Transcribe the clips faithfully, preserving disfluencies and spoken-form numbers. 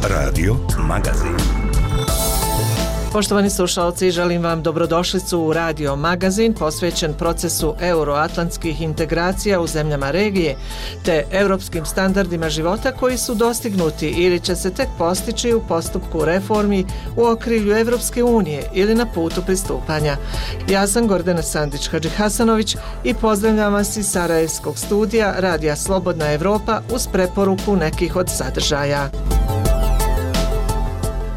Radio Magazin. Poštovani slušalci, želim vam dobrodošlicu u Radio Magazin posvećen procesu euroatlantskih integracija u zemljama regije te europskim standardima života koji su dostignuti ili će se tek postići u postupku reformi u okrilju Evropske unije ili na putu pristupanja. Ja sam Gordana Sandić-Hadžihasanović i pozdravljam vas iz Sarajevskog studija Radija Slobodna Evropa uz preporuku nekih od sadržaja.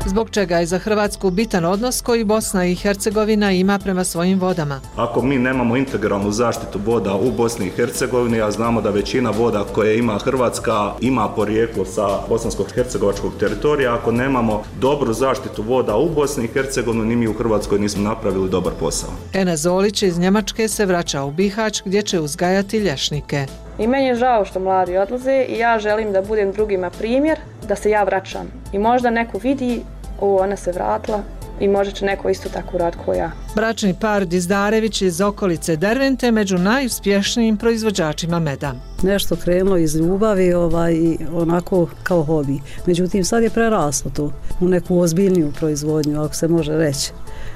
Zbog čega je za Hrvatsku bitan odnos koji Bosna i Hercegovina ima prema svojim vodama. Ako mi nemamo integralnu zaštitu voda u Bosni i Hercegovini, a znamo da većina voda koje ima Hrvatska ima porijeklo sa bosansko-hercegovačkog teritorija, ako nemamo dobru zaštitu voda u Bosni i Hercegovini, ni mi u Hrvatskoj nismo napravili dobar posao. Enes Zolić iz Njemačke se vraća u Bihać gdje će uzgajati lješnike. I meni je žao što mladi odlaze i ja želim da budem drugima primjer, da se ja vraćam. I možda neko vidi, o, ona se vratila i možda će neko isto tako rad kao ja. Bračni par Dizdarević iz okolice Dervente među najuspješnijim proizvođačima meda. Nešto krenulo iz ljubavi ovaj, onako kao hobi. Međutim, sad je preraslo to u neku ozbiljniju proizvodnju, ako se može reći.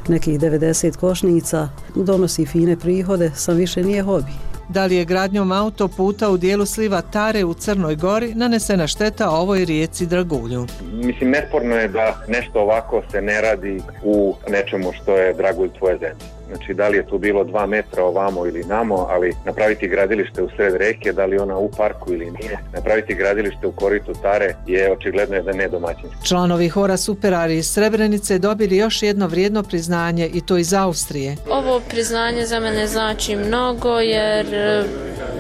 Nekih devedeset košnica, donosi fine prihode, sam više nije hobi. Da li je gradnjom autoputa u dijelu sliva Tare u Crnoj Gori nanesena šteta ovoj rijeci Dragulju? Mislim, nesporno je da nešto ovako se ne radi u nečemu što je Dragulj tvoje zemlje. Znači, da li je tu bilo dva metra ovamo ili namo, ali napraviti gradilište u sred reke, da li ona u parku ili nije, napraviti gradilište u koritu Tare je očigledno da ne domaćinski. Članovi hora Superari iz Srebrenice dobili još jedno vrijedno priznanje i to iz Austrije. Ovo priznanje za mene znači mnogo jer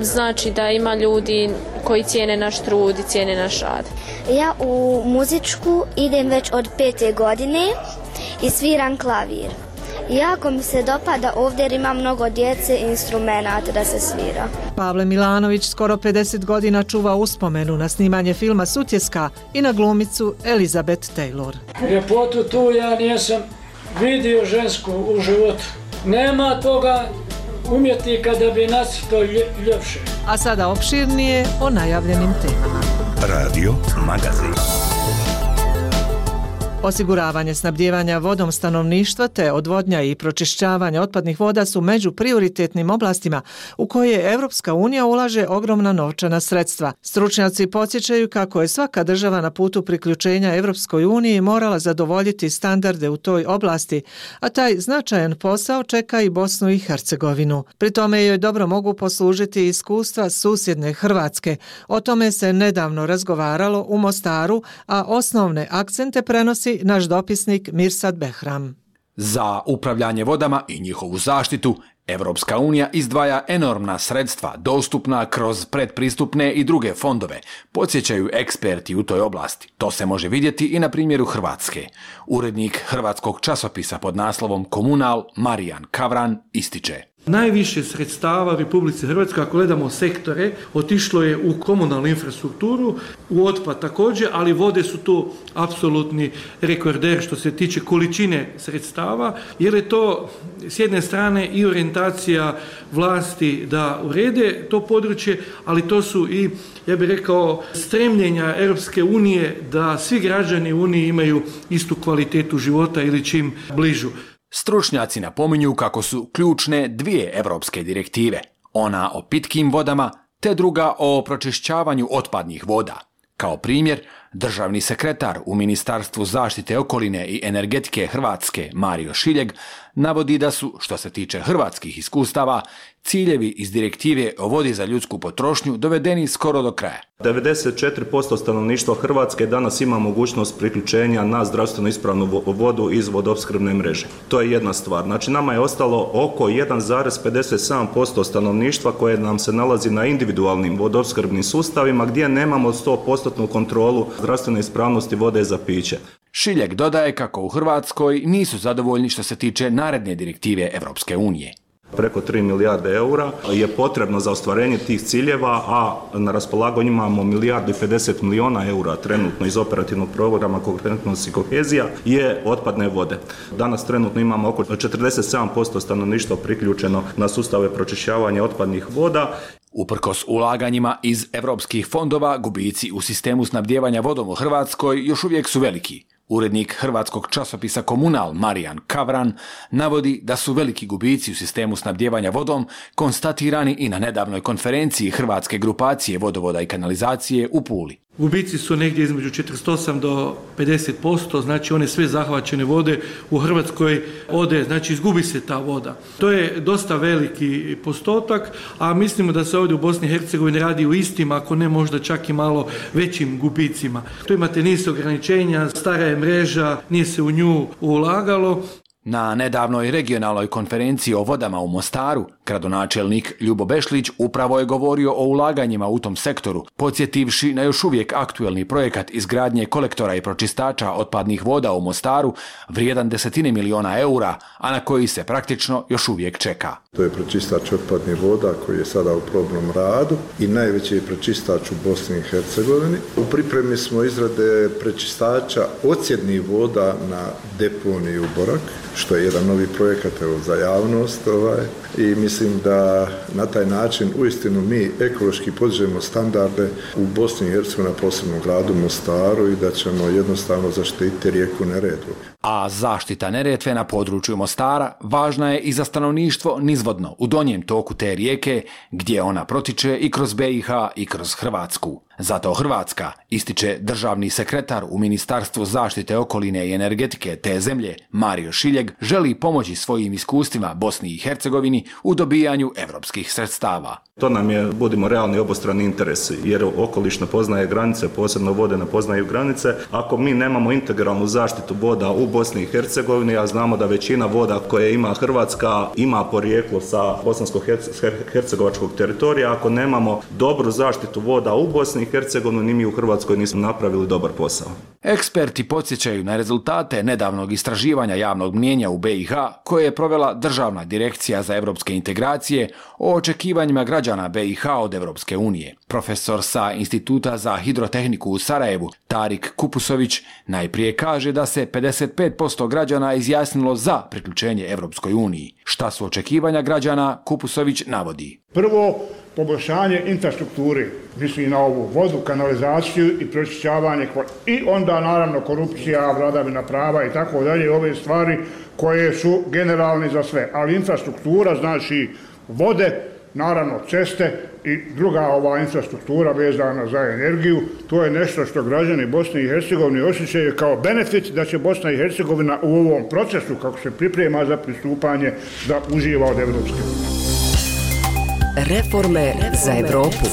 znači da ima ljudi koji cijene naš trud i cijene naš rad. Ja u muzičku idem već od pete godine i sviram klavir. Jako mi se dopada ovdje jer ima mnogo djece i instrumenata da se svira. Pavle Milanović skoro pedeset godina čuva uspomenu na snimanje filma Sutjeska i na glumicu Elizabeth Taylor. Ljepotu tu ja nisam vidio žensku u životu. Nema toga umjetnika da bi nacrtao ljepše. A sada opširnije o najavljenim temama. Radio Magazin. Osiguravanje snabdijevanja vodom stanovništva te odvodnja i pročišćavanje otpadnih voda su među prioritetnim oblastima u koje Evropska unija ulaže ogromna novčana sredstva. Stručnjaci podsjećaju kako je svaka država na putu priključenja Evropskoj uniji morala zadovoljiti standarde u toj oblasti, a taj značajan posao čeka i Bosnu i Hercegovinu. Pri tome joj dobro mogu poslužiti iskustva susjedne Hrvatske. O tome se nedavno razgovaralo u Mostaru, a osnovne akcente prenosi naš dopisnik Mirsad Behram. Za upravljanje vodama i njihovu zaštitu Evropska unija izdvaja enormna sredstva dostupna kroz predpristupne i druge fondove, podsjećaju eksperti u toj oblasti. To se može vidjeti i na primjeru Hrvatske. Urednik hrvatskog časopisa pod naslovom Komunal Marijan Kavran ističe: najviše sredstava u Republici Hrvatskoj, ako gledamo sektore, otišlo je u komunalnu infrastrukturu, u otpad također, ali vode su tu apsolutni rekorder što se tiče količine sredstava, jer je to s jedne strane i orijentacija vlasti da urede to područje, ali to su i, ja bih rekao, stremljenja Europske unije da svi građani Unije imaju istu kvalitetu života ili čim bližu. Stručnjaci napominju kako su ključne dvije evropske direktive, ona o pitkim vodama te druga o pročišćavanju otpadnih voda. Kao primjer, državni sekretar u Ministarstvu zaštite okoline i energetike Hrvatske Mario Šiljeg navodi da su, što se tiče hrvatskih iskustava, ciljevi iz direktive o vodi za ljudsku potrošnju dovedeni skoro do kraja. devedeset četiri posto stanovništva Hrvatske danas ima mogućnost priključenja na zdravstveno ispravnu vodu iz vodoopskrbne mreže. To je jedna stvar. Znači, nama je ostalo oko jedan zarez pedeset sedam posto stanovništva koje nam se nalazi na individualnim vodoopskrbnim sustavima gdje nemamo sto posto kontrolu zdravstvene ispravnosti vode za piće. Šiljeg dodaje kako u Hrvatskoj nisu zadovoljni što se tiče naredne direktive Evropske unije. Preko tri milijarde eura je potrebno za ostvarenje tih ciljeva, a na raspolaganju imamo milijardu i pedeset milijuna eura trenutno iz operativnog programa konkurentnost i kohezija je otpadne vode. Danas trenutno imamo oko četrdeset sedam posto stanovništva priključeno na sustave pročišćavanja otpadnih voda. Uprkos ulaganjima iz evropskih fondova, gubici u sistemu snabdijevanja vodom u Hrvatskoj još uvijek su veliki. Urednik hrvatskog časopisa Komunal Marijan Kavran navodi da su veliki gubici u sistemu snabdijevanja vodom konstatirani i na nedavnoj konferenciji Hrvatske grupacije vodovoda i kanalizacije u Puli. Gubici su negdje između četrdeset osam do pedeset posto, znači one sve zahvaćene vode u Hrvatskoj ode, znači izgubi se ta voda. To je dosta veliki postotak, a mislimo da se ovdje u Bosni i Hercegovini radi u istim, ako ne možda čak i malo većim gubicima. Tu imate niz ograničenja, stara je mreža, nije se u nju ulagalo. Na nedavnoj regionalnoj konferenciji o vodama u Mostaru, gradonačelnik Ljubo Bešlić upravo je govorio o ulaganjima u tom sektoru, podsjetivši na još uvijek aktuelni projekat izgradnje kolektora i pročistača otpadnih voda u Mostaru, vrijedan desetine miliona eura, a na koji se praktično još uvijek čeka. To je pročistač otpadnih voda koji je sada u probnom radu i najveći je pročistač u Bosni i Hercegovini. U pripremi smo izrade prečistača odsjednih voda na deponiju Borak, što je jedan novi projekat evo, za javnost ovaj, i mislim da na taj način uistinu mi ekološki podižemo standarde u Bosni i Hercegovini, posebno gradu Mostaru, i da ćemo jednostavno zaštititi rijeku Neretvu. A zaštita Neretve na području Mostara važna je i za stanovništvo nizvodno u donjem toku te rijeke, gdje ona protiče i kroz B i H i kroz Hrvatsku. Zato Hrvatska, ističe državni sekretar u Ministarstvu zaštite okoline i energetike te zemlje Mario Šiljeg, želi pomoći svojim iskustvima Bosni i Hercegovini u dobijanju evropskih sredstava. To nam je, budimo realni, obostrani interesi, jer okoliš ne poznaje granice, posebno vode ne poznaju granice. Ako mi nemamo integralnu zaštitu voda u Bosni i Hercegovini, a znamo da većina voda koje ima Hrvatska ima porijeklo sa bosansko-hercegovačkog teritorija, ako nemamo dobru zaštitu voda u Bosni i Hercegovini, ni mi u Hrvatskoj nismo napravili dobar posao. Eksperti podsjećaju na rezultate nedavnog istraživanja javnog mnijenja u B i H koje je provela Državna direkcija za evropske integracije o očekivanjima građana B i H od Evropske unije. Profesor sa Instituta za hidrotehniku u Sarajevu, Tarik Kupusović, najprije kaže da se pedeset pet posto građana izjasnilo za priključenje Evropskoj uniji. Šta su očekivanja građana, Kupusović navodi. Prvo, poboljšanje infrastrukture, mislim na ovu vodu, kanalizaciju i pročišćavanje, i onda naravno korupcija, vladavina prava i tako dalje, ove stvari koje su generalne za sve. Ali infrastruktura, znači vode, naravno ceste i druga ova infrastruktura vezana za energiju, to je nešto što građani Bosne i Hercegovine osjećaju kao benefit da će Bosna i Hercegovina u ovom procesu, kako se priprema za pristupanje, da uživa od Evropske unije. Reforme za Evropu.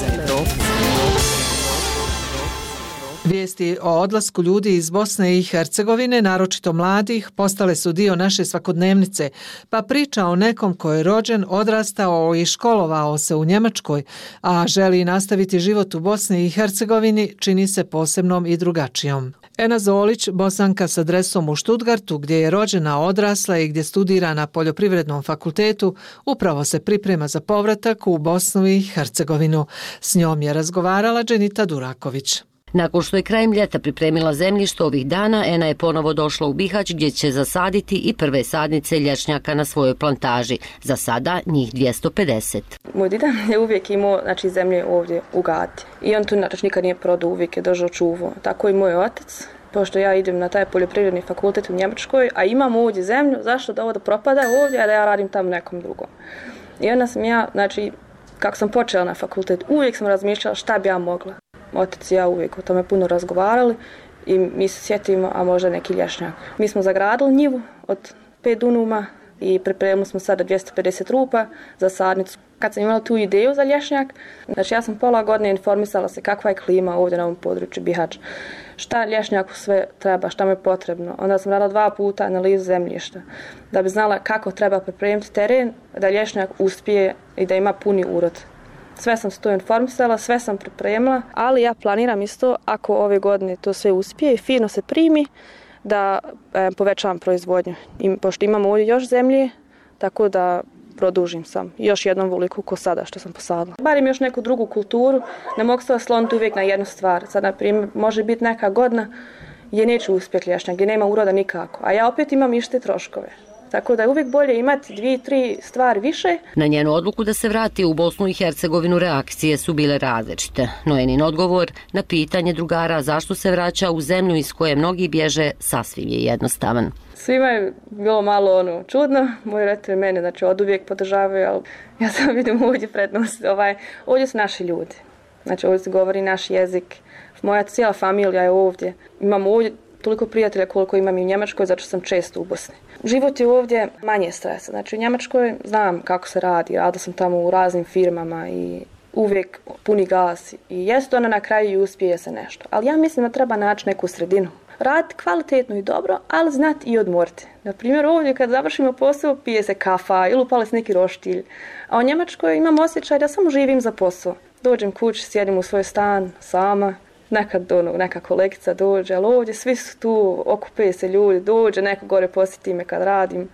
Vijesti o odlasku ljudi iz Bosne i Hercegovine, naročito mladih, postale su dio naše svakodnevnice, pa priča o nekom ko je rođen, odrastao i školovao se u Njemačkoj, a želi nastaviti život u Bosni i Hercegovini, čini se posebnom i drugačijom. Ena Zolić, Bosanka s adresom u Stuttgartu, gdje je rođena, odrasla i gdje studira na Poljoprivrednom fakultetu, upravo se priprema za povratak u Bosnu i Hercegovinu. S njom je razgovarala Dženita Duraković. Nakon što je krajem ljeta pripremila zemljište ovih dana, Ena je ponovo došla u Bihać gdje će zasaditi i prve sadnice lješnjaka na svojoj plantaži. Za sada njih dvjesto pedeset. Moj dida je uvijek imao znači, zemlje ovdje u Gati. I on tu znači, nikad nije prodao, uvijek je držao čuvo. Tako i moj otac. Pošto ja idem na taj poljoprivredni fakultet u Njemačkoj, a imam ovdje zemlju, zašto da ovo da propada ovdje, a da ja radim tamo nekom drugom. I onda sam ja, znači, kako sam počela na fakultet, uvijek sam razmišljala šta bi ja mogla. Otac i ja uvijek o tome puno razgovarali i mi se sjetimo, a možda neki lješnjak. Mi smo zagradili njivu od pet dunuma i pripremili smo sada dvjesto pedeset rupa za sadnicu. Kad sam imala tu ideju za lješnjak, znači ja sam pola godine informisala se kakva je klima ovdje na ovom području Bihać. Šta lješnjaku sve treba, šta mu je potrebno. Onda sam radila dva puta analizu zemljišta da bi znala kako treba pripremiti teren, da lješnjak uspije i da ima puni urod. Sve sam se to informisala, sve sam pripremila, ali ja planiram isto, ako ove godine to sve uspije i fino se primi, da e, povećavam proizvodnju. I, pošto imamo ovdje još zemlje, tako da produžim sam još jednom voliku ko sada što sam posadila. Barim još neku drugu kulturu, ne mogu se osloniti uvijek na jednu stvar. Sad, na primjer, može biti neka godina gdje neću uspjeti lješnjak, gdje nema uroda nikako, a ja opet imam iste troškove. Tako da je uvijek bolje imati dvije, tri stvari više. Na njenu odluku da se vrati u Bosnu i Hercegovinu reakcije su bile različite, no njen odgovor na pitanje drugara zašto se vraća u zemlju iz koje mnogi bježe sasvim je jednostavan. Svima je bilo malo ono čudno, moji roditelji mene znači od uvijek podržavaju, ali ja sam vidim ovdje prednost, ovaj, ovdje su naši ljudi, znači ovdje se govori naš jezik, moja cijela familija je ovdje, imam ovdje toliko prijatelja koliko imam i u Njemačkoj, zato što sam često u Bosni. Život je ovdje manje stresa, znači u Njemačkoj znam kako se radi, radila sam tamo u raznim firmama i uvijek puni gas i jest ona na kraju i uspije se nešto, ali ja mislim da treba naći neku sredinu. Raditi kvalitetno i dobro, ali znati i odmoriti. Na primjer, ovdje kad završimo posao, pije se kafa ili upali se neki roštilj. A u Njemačkoj imam osjećaj da samo živim za posao. Dođem kući, sjedim u svoj stan, sama, nekad ono, neka kolegica dođe, ali ovdje svi su tu, okupe se ljudi, dođe, neko gore posjeti me kad radim.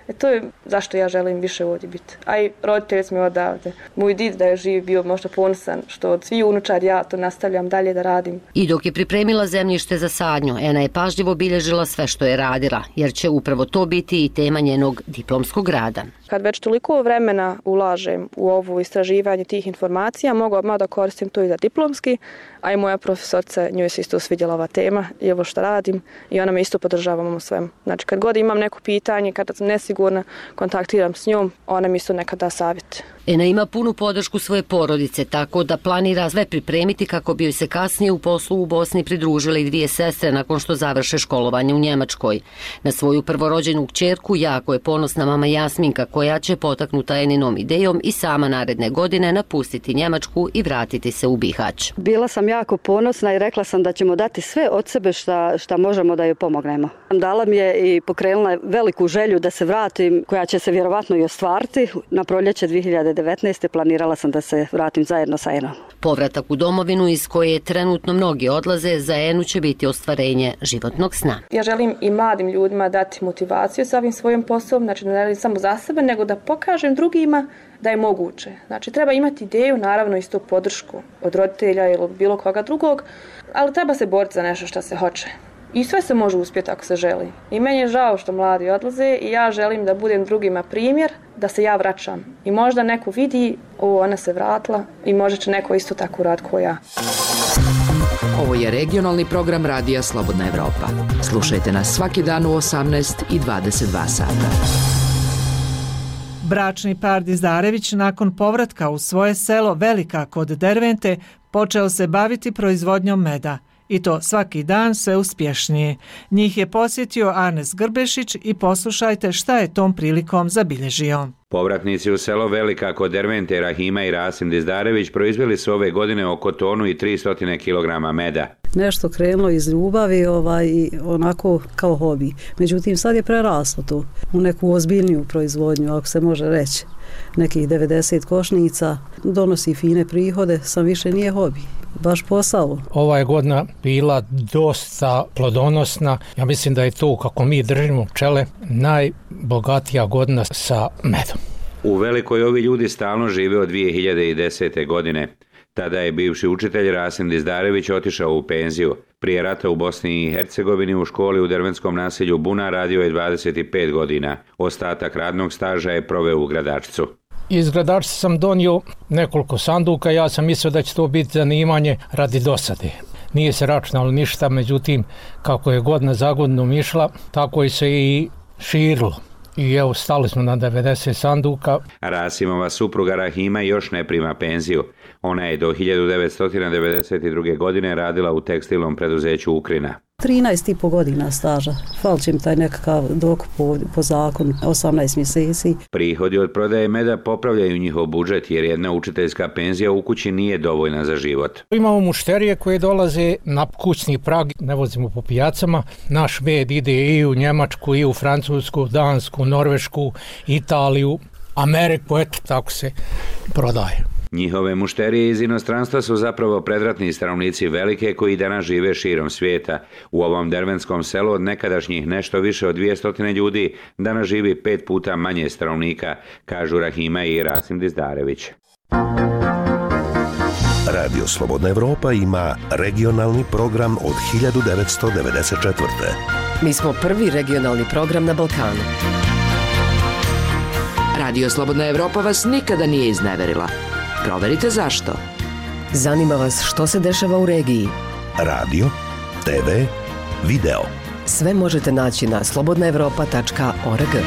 E to je zašto ja želim više ovdje biti. A i roditelji su mi odavde. Moj did da je živ bio možda ponosan što od svih unučad ja to nastavljam dalje da radim. I dok je pripremila zemljište za sadnju, Ena je pažljivo bilježila sve što je radila, jer će upravo to biti i tema njenog diplomskog rada. Kad već toliko vremena ulažem u ovo istraživanje tih informacija, mogu odmah da koristim to i za diplomski, a i moja profesorica, njoj se isto svidjela ova tema i ovo što radim i ona me isto podržava u svemu. Znači kad god imam neko pitanje, kada sam nesigurna, kontaktiram s njom, ona mi isto nekad da savjet. Ena ima punu podršku svoje porodice, tako da planira sve pripremiti kako bi joj se kasnije u poslu u Bosni pridružile i dvije sestre nakon što završe školovanje u Njemačkoj. Na svoju prvorođenu kćerku jako je ponosna mama Jasminka, koja će potaknuta Eninom idejom i sama naredne godine napustiti Njemačku i vratiti se u Bihać. Bila sam jako ponosna i rekla sam da ćemo dati sve od sebe šta, šta možemo da joj pomognemo. Dala mi je i pokrenula veliku želju da se vratim, koja će se vjerovatno i ostvariti. Na proljeće dvije hiljade devetnaeste. planirala sam da se vratim zajedno sa Enom. Povratak u domovinu iz koje trenutno mnogi odlaze, za Enu će biti ostvarenje životnog sna. Ja želim i mladim ljudima dati motivaciju sa ovim svojim poslom, znači ne radim samo za sebe, nego da pokažem drugima da je moguće. Znači treba imati ideju, naravno isto podršku od roditelja ili bilo koga drugog, ali treba se boriti za nešto što se hoće. I sve se može uspjeti ako se želi. I meni je žao što mladi odlaze i ja želim da budem drugima primjer, da se ja vraćam. I možda neko vidi, o, ona se vratila i možda će neko isto tako raditi kao ja. Ovo je regionalni program Radija Slobodna Evropa. Slušajte nas svaki dan u osamnaest i dvadeset dva sata. Bračni par Dizdarević nakon povratka u svoje selo Velika kod Dervente počeo se baviti proizvodnjom meda. I to svaki dan sve uspješnije. Njih je posjetio Arnes Grbešić i poslušajte šta je tom prilikom zabilježio. Povratnici u selo Velika kod Dervente, Rahima i Rasim Dizdarević proizveli su ove godine oko tonu i tristo kilograma meda. Nešto krenulo iz ljubavi ovaj, i onako kao hobi. Međutim, sad je preraslo to u neku ozbiljniju proizvodnju, ako se može reći. Nekih devedeset košnica, donosi fine prihode, sam više nije hobi. Baš posao. Ova je godina bila dosta plodonosna. Ja mislim da je to, kako mi držimo pčele, najbogatija godina sa medom. U Velikoj ovi ljudi stalno žive od dvije hiljade desete. godine. Tada je bivši učitelj Rasim Dizdarević otišao u penziju. Prije rata u Bosni i Hercegovini u školi u dervenskom naselju Buna radio je dvadeset pet godina. Ostatak radnog staža je proveo u Gradačcu. Iz Gradačca sam donio nekoliko sanduka, ja sam mislio da će to biti zanimanje radi dosade. Nije se računalo ništa, međutim, kako je godina za godinom išla, tako je se i širilo. I evo, stali smo na devedeset sanduka. Rasimova supruga Rahima još ne prima penziju. Ona je do hiljadu devetsto devedeset druge. godine radila u tekstilnom preduzeću Ukrina. trinaest i po godina staža. Falčim taj nekakav dokup po, po zakonu, osamnaest mjeseci. Prihodi od prodaje meda popravljaju njihov budžet jer jedna učiteljska penzija u kući nije dovoljna za život. Imamo mušterije koje dolaze na kućni prag, ne vozimo po pijacama. Naš med ide i u Njemačku, i u Francusku, Dansku, Norvešku, Italiju, Ameriku, eto tako se prodaje. Njihove mušterije iz inostranstva su zapravo predratni stanovnici Velike koji danas žive širom svijeta. U ovom dervenskom selu od nekadašnjih nešto više od dvjesto ljudi danas živi pet puta manje stanovnika, kažu Rahima i Rasim Dizdarević. Radio Slobodna Evropa ima regionalni program od hiljadu devetsto devedeset četvrte. Mi smo prvi regionalni program na Balkanu. Radio Slobodna Evropa vas nikada nije izneverila. Proverite zašto. Zanima vas što se dešava u regiji? Radio, te ve, video. Sve možete naći na slobodna evropa tačka org.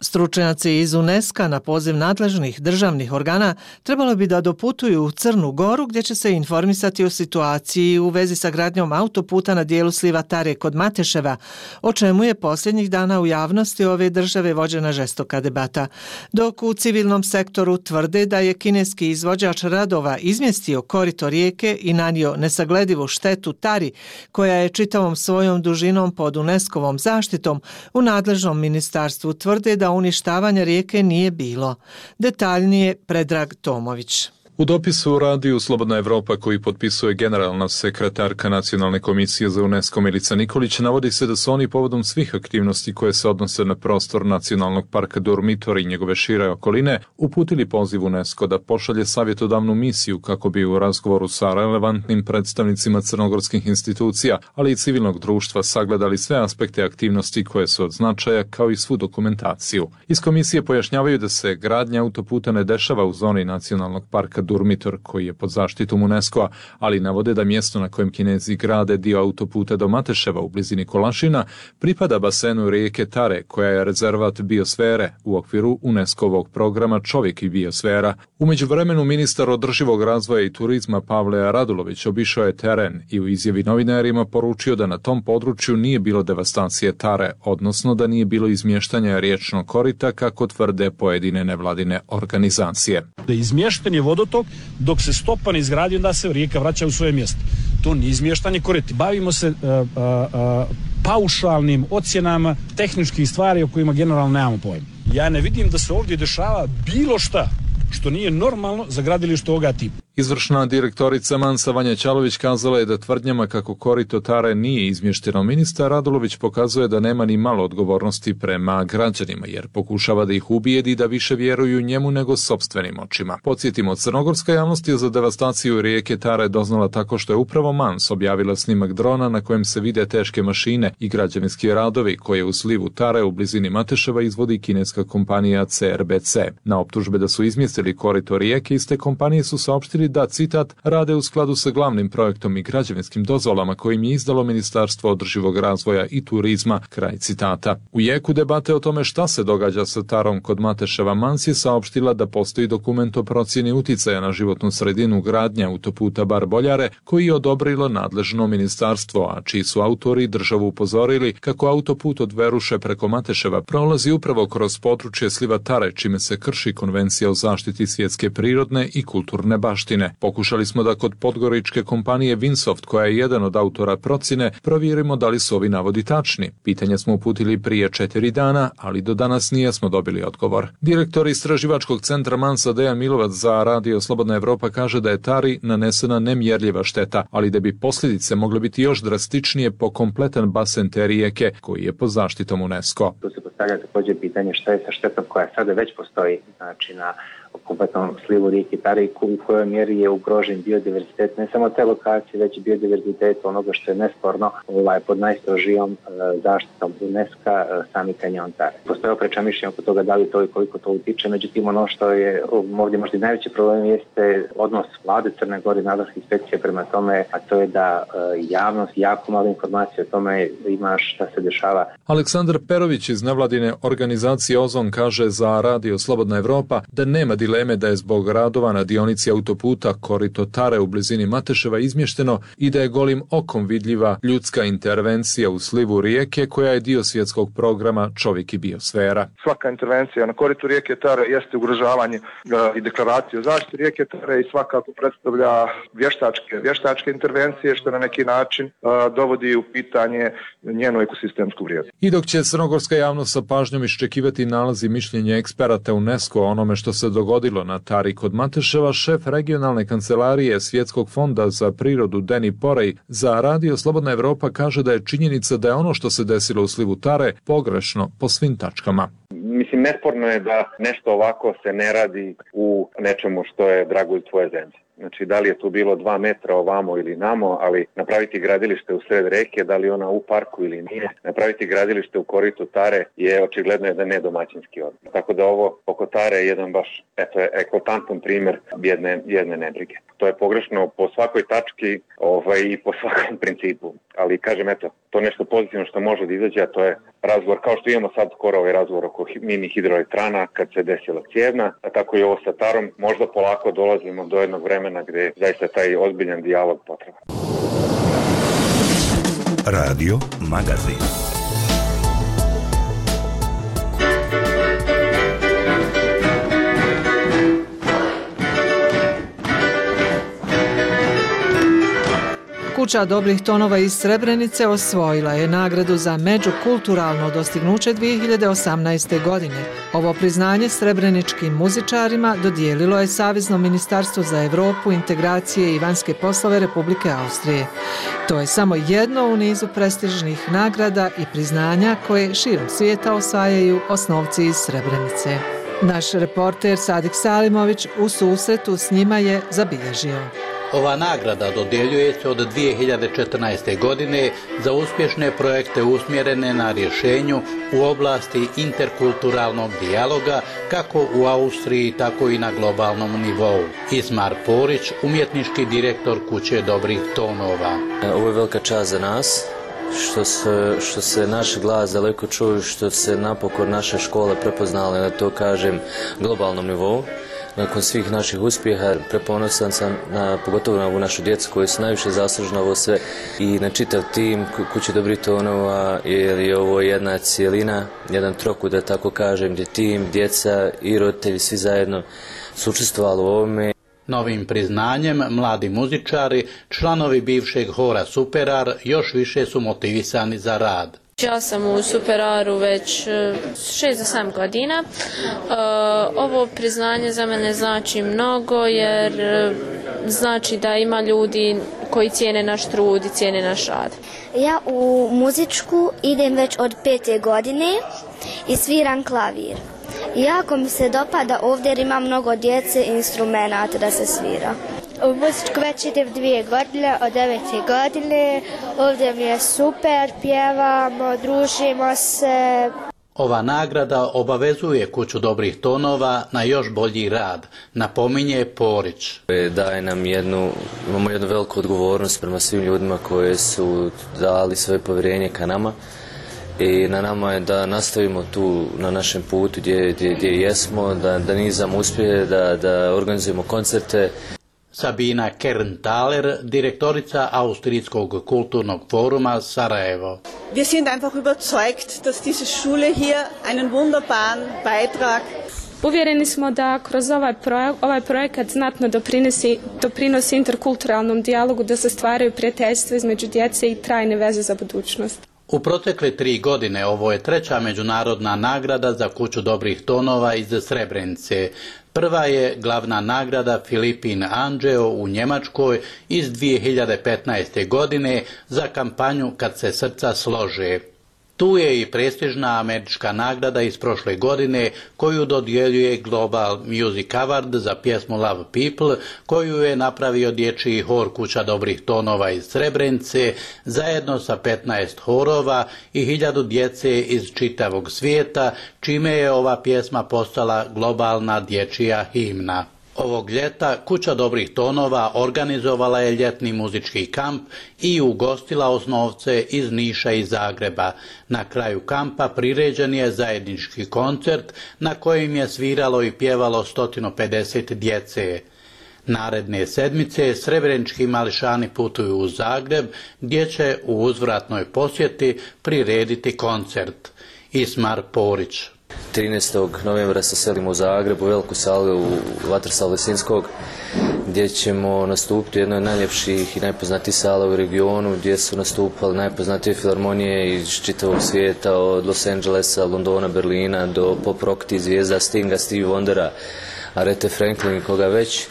Stručnjaci iz UNESCO na poziv nadležnih državnih organa trebalo bi da doputuju u Crnu Goru gdje će se informisati o situaciji u vezi sa gradnjom autoputa na dijelu sliva Tare kod Mateševa, o čemu je posljednjih dana u javnosti ove države vođena žestoka debata. Dok u civilnom sektoru tvrde da je kineski izvođač radova izmjestio korito rijeke i nanio nesagledivu štetu Tari, koja je čitavom svojom dužinom pod UNESCO-vom zaštitom, u nadležnom ministarstvu tvrde da uništavanja rijeke nije bilo. Detaljnije Predrag Tomović. U dopisu Radiju Slobodna Evropa koji potpisuje generalna sekretarka Nacionalne komisije za UNESCO Milica Nikolić navodi se da su oni povodom svih aktivnosti koje se odnose na prostor Nacionalnog parka Durmitor i njegove šire okoline uputili poziv UNESCO da pošalje savjetodavnu misiju kako bi u razgovoru sa relevantnim predstavnicima crnogorskih institucija, ali i civilnog društva sagledali sve aspekte aktivnosti koje su od značaja kao i svu dokumentaciju. Iz komisije pojašnjavaju da se gradnja autoputa ne dešava u zoni Nacionalnog parka Durmitor koji je pod zaštitom UNESCO-a, ali navode da mjesto na kojem Kinezi grade dio autoputa do Mateševa u blizini Kolašina pripada basenu rijeke Tare koja je rezervat biosfere u okviru UNESCO-ovog programa Čovjek i biosfera. U međuvremenu ministar održivog razvoja i turizma Pavle Radulović obišao je teren i u izjavi novinarima poručio da na tom području nije bilo devastacije Tare, odnosno da nije bilo izmještanja riječnog korita kako tvrde pojedine nevladine organizacije. Da izmješten je vodotok dok se stopa ne izgradi, onda se rijeka vraća u svoje mjesto. To nije izmještanje korita. Bavimo se uh, uh, uh, paušalnim ocjenama tehničkih stvari o kojima generalno nemamo pojma. Ja ne vidim da se ovdje dešava bilo šta što nije normalno za gradilište ovoga tipa. Izvršna direktorica Mansa Vanja Ćalović kazala je da tvrdnjama kako korito Tare nije izmješteno. Ministar Radulović pokazuje da nema ni malo odgovornosti prema građanima, jer pokušava da ih ubijedi da više vjeruju njemu nego sopstvenim očima. Podsjetimo, crnogorska javnost je za devastaciju rijeke Tare doznala tako što je upravo Mans objavila snimak drona na kojem se vide teške mašine i građevinski radovi koje u slivu Tare u blizini Mateševa izvodi kineska kompanija C R B C. Na optužbe da su izmjestili korito rijeke, iste kompanije su saopštili da, citat, rade u skladu sa glavnim projektom i građevinskim dozvolama kojim je izdalo Ministarstvo održivog razvoja i turizma, kraj citata. U jeku debate o tome šta se događa sa Tarom kod Mateševa, Mans je saopštila da postoji dokument o procjeni uticaja na životnu sredinu gradnje autoputa Bar Boljare koji je odobrilo nadležno ministarstvo, a čiji su autori državu upozorili kako autoput od Veruše preko Mateševa prolazi upravo kroz područje sliva Tare, čime se krši konvencija o zaštiti svjetske prirodne i kulturne baštine. Pokušali smo da kod podgoričke kompanije Vinsoft, koja je jedan od autora procjene, provjerimo da li su ovi navodi tačni. Pitanje smo uputili prije četiri dana, ali do danas nijesmo dobili odgovor. Direktor istraživačkog centra Mansa Dejan Milovac za Radio Slobodna Evropa kaže da je Tari nanesena nemjerljiva šteta, ali da bi posljedice mogle biti još drastičnije po kompletan basen te rijeke, koji je pod zaštitom UNESCO. Tu se postavlja također pitanje šta je sa štetom koja sada već postoji, znači na kompletnom slivu rijeke Tare i u kojoj mjeri je ugrožen biodiverzitet, ne samo te lokacije, već i biodiverzitet onoga što je nesporno ovaj, pod najstrožijom e, zaštitom UNESCO-a e, sami kanjon Tare. Postoje oprečna mišljenja oko toga da li to i koliko to utiče, međutim ono što je ovdje možda i najveći problem jeste odnos vlade Crne Gore i nadležnih inspekcija prema tome, a to je da e, javnost jako malo informacije o tome ima šta se dešava. Aleksandar Perović iz nevladine organizacije Ozon kaže za Radio Slobodna Evropa da nema dileme da je zbog radova na dionici autoputa korito Tare u blizini Mateševa izmješteno i da je golim okom vidljiva ljudska intervencija u slivu rijeke koja je dio svjetskog programa Čovjek i biosfera. Svaka intervencija na koritu rijeke Tare jeste ugrožavanje i deklaracije o zaštiti rijeke Tare i svakako predstavlja vještačke, vještačke intervencije što na neki način a, dovodi u pitanje njenu ekosistemsku vrijednost. I dok će crnogorska javnost sa pažnjom iščekivati nalazi mišljenja eksperata UNESCO o onome što se dogodilo na Tari kod Mateševa, šef regionalne kancelarije Svjetskog fonda za prirodu Deni Porej za Radio Slobodna Evropa kaže da je činjenica da je ono što se desilo u slivu Tare pogrešno po svim tačkama. Mislim, nesporno je da nešto ovako se ne radi u nečemu što je dragulj tvoje zemlje. Znači, da li je tu bilo dva metra ovamo ili namo, ali napraviti gradilište u sred reke, da li ona u parku ili nije, napraviti gradilište u koritu Tare je očigledno jedan nedomaćinski odnos. Tako da ovo oko Tare je jedan baš eto, eklatantan primjer jedne, jedne nebrige. To je pogrešno po svakoj tački ovaj, i po svakom principu. Ali kažem, eto, to nešto pozitivno što može da izađe, a to je razgovor, kao što imamo sad skoro ovaj razgovor oko mini hidroelektrana kad se desila Cijevna, a tako i ovo sa Tarom, možda polako dolazimo do jednog vremena gdje je zaista taj ozbiljan dijalog potreban. Radio Magazin. Kuća dobrih tonova iz Srebrenice osvojila je nagradu za međukulturalno dostignuće dvije hiljade osamnaeste. godine. Ovo priznanje srebreničkim muzičarima dodijelilo je Savezno ministarstvo za Europu, integracije i vanjske poslove Republike Austrije. To je samo jedno u nizu prestižnih nagrada i priznanja koje širom svijeta osvajaju osnovci iz Srebrenice. Naš reporter Sadik Salimović u susretu s njima je zabilježio. Ova nagrada dodjeljuje se od dvije hiljade četrnaeste. godine za uspješne projekte usmjerene na rješenju u oblasti interkulturalnog dijaloga kako u Austriji, tako i na globalnom nivou. Ismar Porić, umjetnički direktor Kuće dobrih tonova. Ovo je velika čast za nas, što se, što se naš glas daleko čuju, što se napokon naše škole prepoznale na to, kažem, globalnom nivou. Nakon svih naših uspjeha preponosan sam na, pogotovo na ovu našu djecu koji su najviše zaslužna ovo sve i na čitav tim Kuće dobrih tonova, jer je ovo jedna cijelina, jedan trokut, da tako kažem, gdje tim, djeca i roditelji svi zajedno su učestvovali u ovome. Novim priznanjem mladi muzičari, članovi bivšeg hora Superar, još više su motivisani za rad. Ja sam u Superaru već šest do sedam godina. Ovo priznanje za mene znači mnogo jer znači da ima ljudi koji cijene naš trud i cijene naš rad. Ja u muzičku idem već od pete godine i sviram klavir. Jako mi se dopada ovdje jer ima mnogo djece i instrumenata da se svira. U muzičku već idem dvije godine, od devete godine. Ovdje mi je super, pjevamo, družimo se. Ova nagrada obavezuje Kuću dobrih tonova na još bolji rad, napominje Porić. Daje nam jednu, imamo jednu veliku odgovornost prema svim ljudima koji su dali svoje povjerenje ka nama. I na nama je da nastavimo tu na našem putu gdje, gdje, gdje jesmo, da, da nizamo uspjehe, da, da organizujemo koncerte. Sabina Kern-Thaler, direktorica Austrijskog kulturnog foruma Sarajevo. Wir sind einfach überzeugt, dass diese Schule hier einen wunderbaren Beitrag. Uvjereni smo da kroz ovaj, projek, ovaj projekat znatno doprinosi, doprinosi interkulturalnom dijalogu, da se stvaraju prijateljstva između djece i trajne veze za budućnost. U protekle tri godine ovo je treća međunarodna nagrada za Kuću dobrih tonova iz Srebrenice. Prva je glavna nagrada Filipin Anđeo u Njemačkoj iz dvije hiljade petnaeste. godine za kampanju Kad se srca slože. Tu je i prestižna američka nagrada iz prošle godine koju dodjeljuje Global Music Award za pjesmu Love People, koju je napravio dječji hor Kuća dobrih tonova iz Srebrenice zajedno sa petnaest horova i hiljadu djece iz čitavog svijeta, čime je ova pjesma postala globalna dječja himna. Ovog ljeta Kuća dobrih tonova organizovala je ljetni muzički kamp i ugostila osnovce iz Niša i Zagreba. Na kraju kampa priređen je zajednički koncert na kojem je sviralo i pjevalo sto pedeset djece. Naredne sedmice srebrenički mališani putuju u Zagreb gdje će u uzvratnoj posjeti prirediti koncert. Ismar Porić. trinaestog novembra se selimo u Zagreb u veliku salu u Vatrsalu Lisinskog gdje ćemo nastupiti u jednoj od najljepših i najpoznatijih sala u regionu gdje su nastupali najpoznatije filharmonije iz čitavog svijeta od Los Angelesa, Londona, Berlina do pop rock zvijezda Stinga, Stevie Wondera, Aretha Franklin i koga već.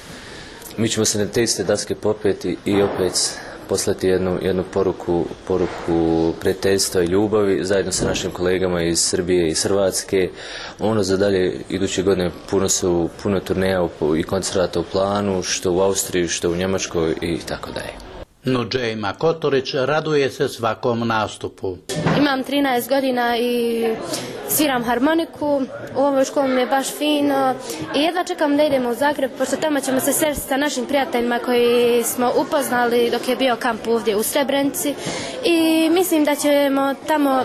Mi ćemo se na te iste daske popeti i opet poslati jednu, jednu poruku, poruku prijateljstva i ljubavi zajedno sa našim kolegama iz Srbije i iz Hrvatske. Ono za dalje iduće godine puno su puno turneja i koncerata u planu, što u Austriji, što u Njemačkoj i tako dalje. No Džejma Kotorić raduje se svakom nastupu. Imam trinaest godina i sviram harmoniku. U ovoj školi mi je baš fino i jedva čekam da idemo u Zagreb, pošto tamo ćemo se sresti sa našim prijateljima koji smo upoznali dok je bio kamp ovdje u Srebrenici i mislim da ćemo tamo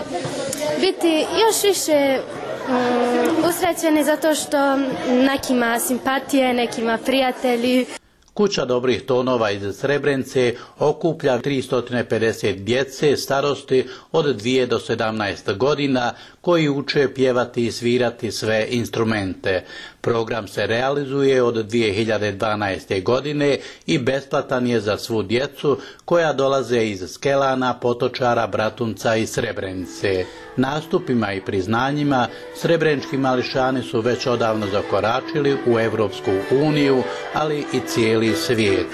biti još više um, usrećeni zato što nekima simpatije, nekima prijatelji. Kuća dobrih tonova iz Srebrenice okuplja tristo pedeset djece starosti od dvije do sedamnaest godina koji uče pjevati i svirati sve instrumente. Program se realizuje od dvije hiljade dvanaeste. godine i besplatan je za svu djecu koja dolaze iz Skelana, Potočara, Bratunca i Srebrenice. Nastupima i priznanjima srebrenički mališani su već odavno zakoračili u Evropsku uniju, ali i cijeli svijet.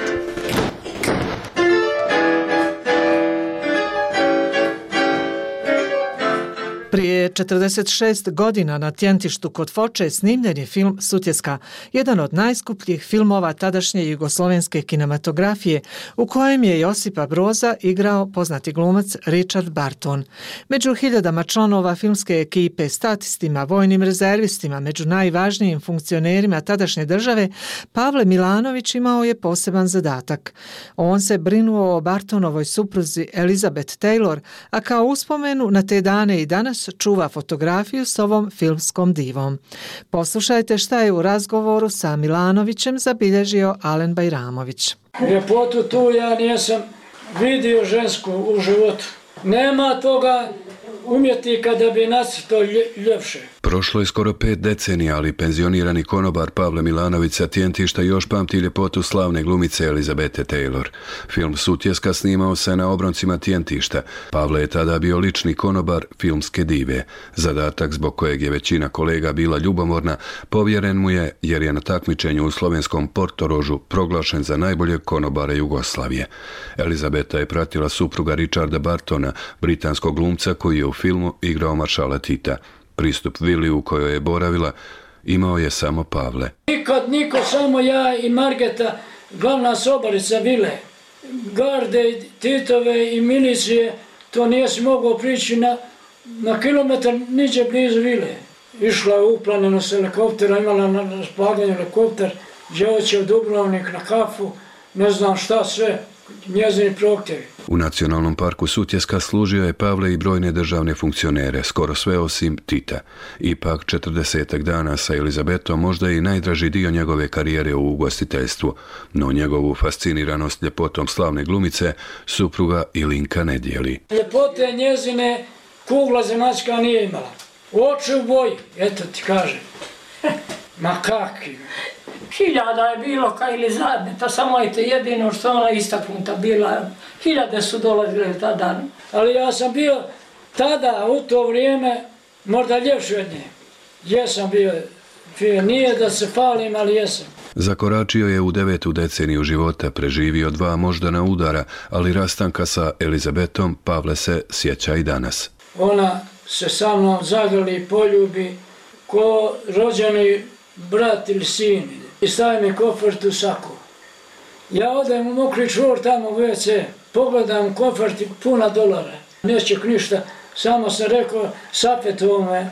Prije četrdeset šest godina na Tjentištu kod Foče snimljen je film Sutjeska, jedan od najskupljih filmova tadašnje jugoslovenske kinematografije, u kojem je Josipa Broza igrao poznati glumac Richard Barton. Među hiljadama članova filmske ekipe, statistima, vojnim rezervistima, među najvažnijim funkcionerima tadašnje države, Pavle Milanović imao je poseban zadatak. On se brinuo o Bartonovoj supruzi Elizabeth Taylor, a kao uspomenu na te dane i danas čuva fotografiju s ovom filmskom divom. Poslušajte šta je u razgovoru sa Milanovićem zabilježio Alen Bajramović. Ljepotu tu ja nisam vidio žensku u životu. Nema toga umjetnika da bi nacrtao ljepše. Prošlo je skoro pet decenija, ali penzionirani konobar Pavle Milanović sa Tjentišta još pamti ljepotu slavne glumice Elizabete Taylor. Film Sutjeska snimao se na obroncima Tjentišta. Pavle je tada bio lični konobar filmske dive. Zadatak zbog kojeg je većina kolega bila ljubomorna povjeren mu je jer je na takmičenju u slovenskom Portorožu proglašen za najboljeg konobara Jugoslavije. Elizabeta je pratila supruga Richarda Bartona, britanskog glumca koji je u filmu igrao maršala Tita. Pristup vili u kojoj je boravila imao je samo Pavle. Nikad niko, samo ja i Margeta, glavna sobarica vile. Garde, Titove i milicije, to nisi mogao prići na, na kilometar niđe blizu vile. Išla je uplanjeno s helikoptera, imala na raspolaganju helikopter, djevojče u Dubrovnik na kafu, ne znam šta sve, njezini prohtjevi. U Nacionalnom parku Sutjeska služio je Pavle i brojne državne funkcionere, skoro sve osim Tita. Ipak četrdesetak dana sa Elizabetom možda je i najdraži dio njegove karijere u ugostiteljstvu, no njegovu fasciniranost ljepotom slavne glumice supruga Ilinka ne dijeli. Ljepote njezine kugla zemačka nije imala. Oči u boji, eto ti kažem. Ma kakvi. Hiljada je bilo ka Elizabeta, samo je to jedino što ona istaknuta bila. Hiljade su dolazile tada. Ali ja sam bio tada, u to vrijeme, možda ljepši od nje. Jesam bio, nije da se falim, ali jesam. Zakoračio je u devetu deceniju života, preživio dva moždana udara, ali rastanka sa Elizabetom Pavle se sjeća i danas. Ona se sa mnom zagrli, poljubi, ko rođeni brat ili sin. I stavi mi kofert u saku. Ja odem u mokri čvor tamo u ve ce, pogledam kofert i puna dolara. Nećek ništa, samo sam rekao Sapetovome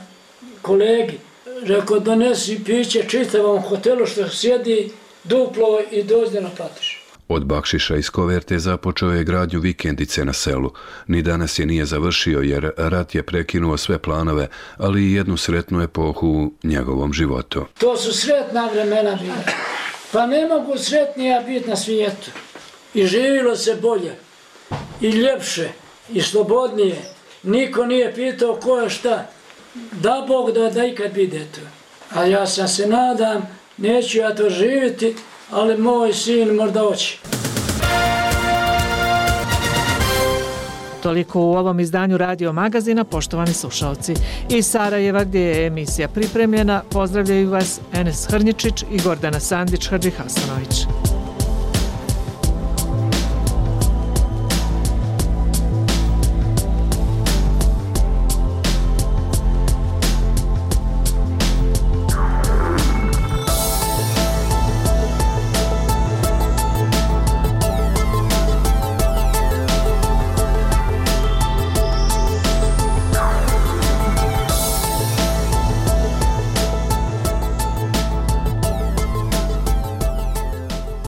kolegi, rekao donesi piće čitavom hotelu što sjedi duplo i dođe naplatiš. Od bakšiša iz koverte započeo je gradnju vikendice na selu. Ni danas je nije završio jer rat je prekinuo sve planove, ali i jednu sretnu epohu u njegovom životu. To su sretna vremena bila. Pa ne mogu sretnija biti na svijetu. I živilo se bolje, i ljepše, i slobodnije. Niko nije pitao ko je šta. Da Bog da, da ikad bide to. A ja sam se nadam, neću ja to živjeti, ali moj sin možda hoće. Toliko u ovom izdanju Radio Magazina, poštovani slušalci. Iz Sarajeva gdje je emisija pripremljena, pozdravljaju vas Enes Hrnjičić i Gordana Sandić-Hadžihasanović.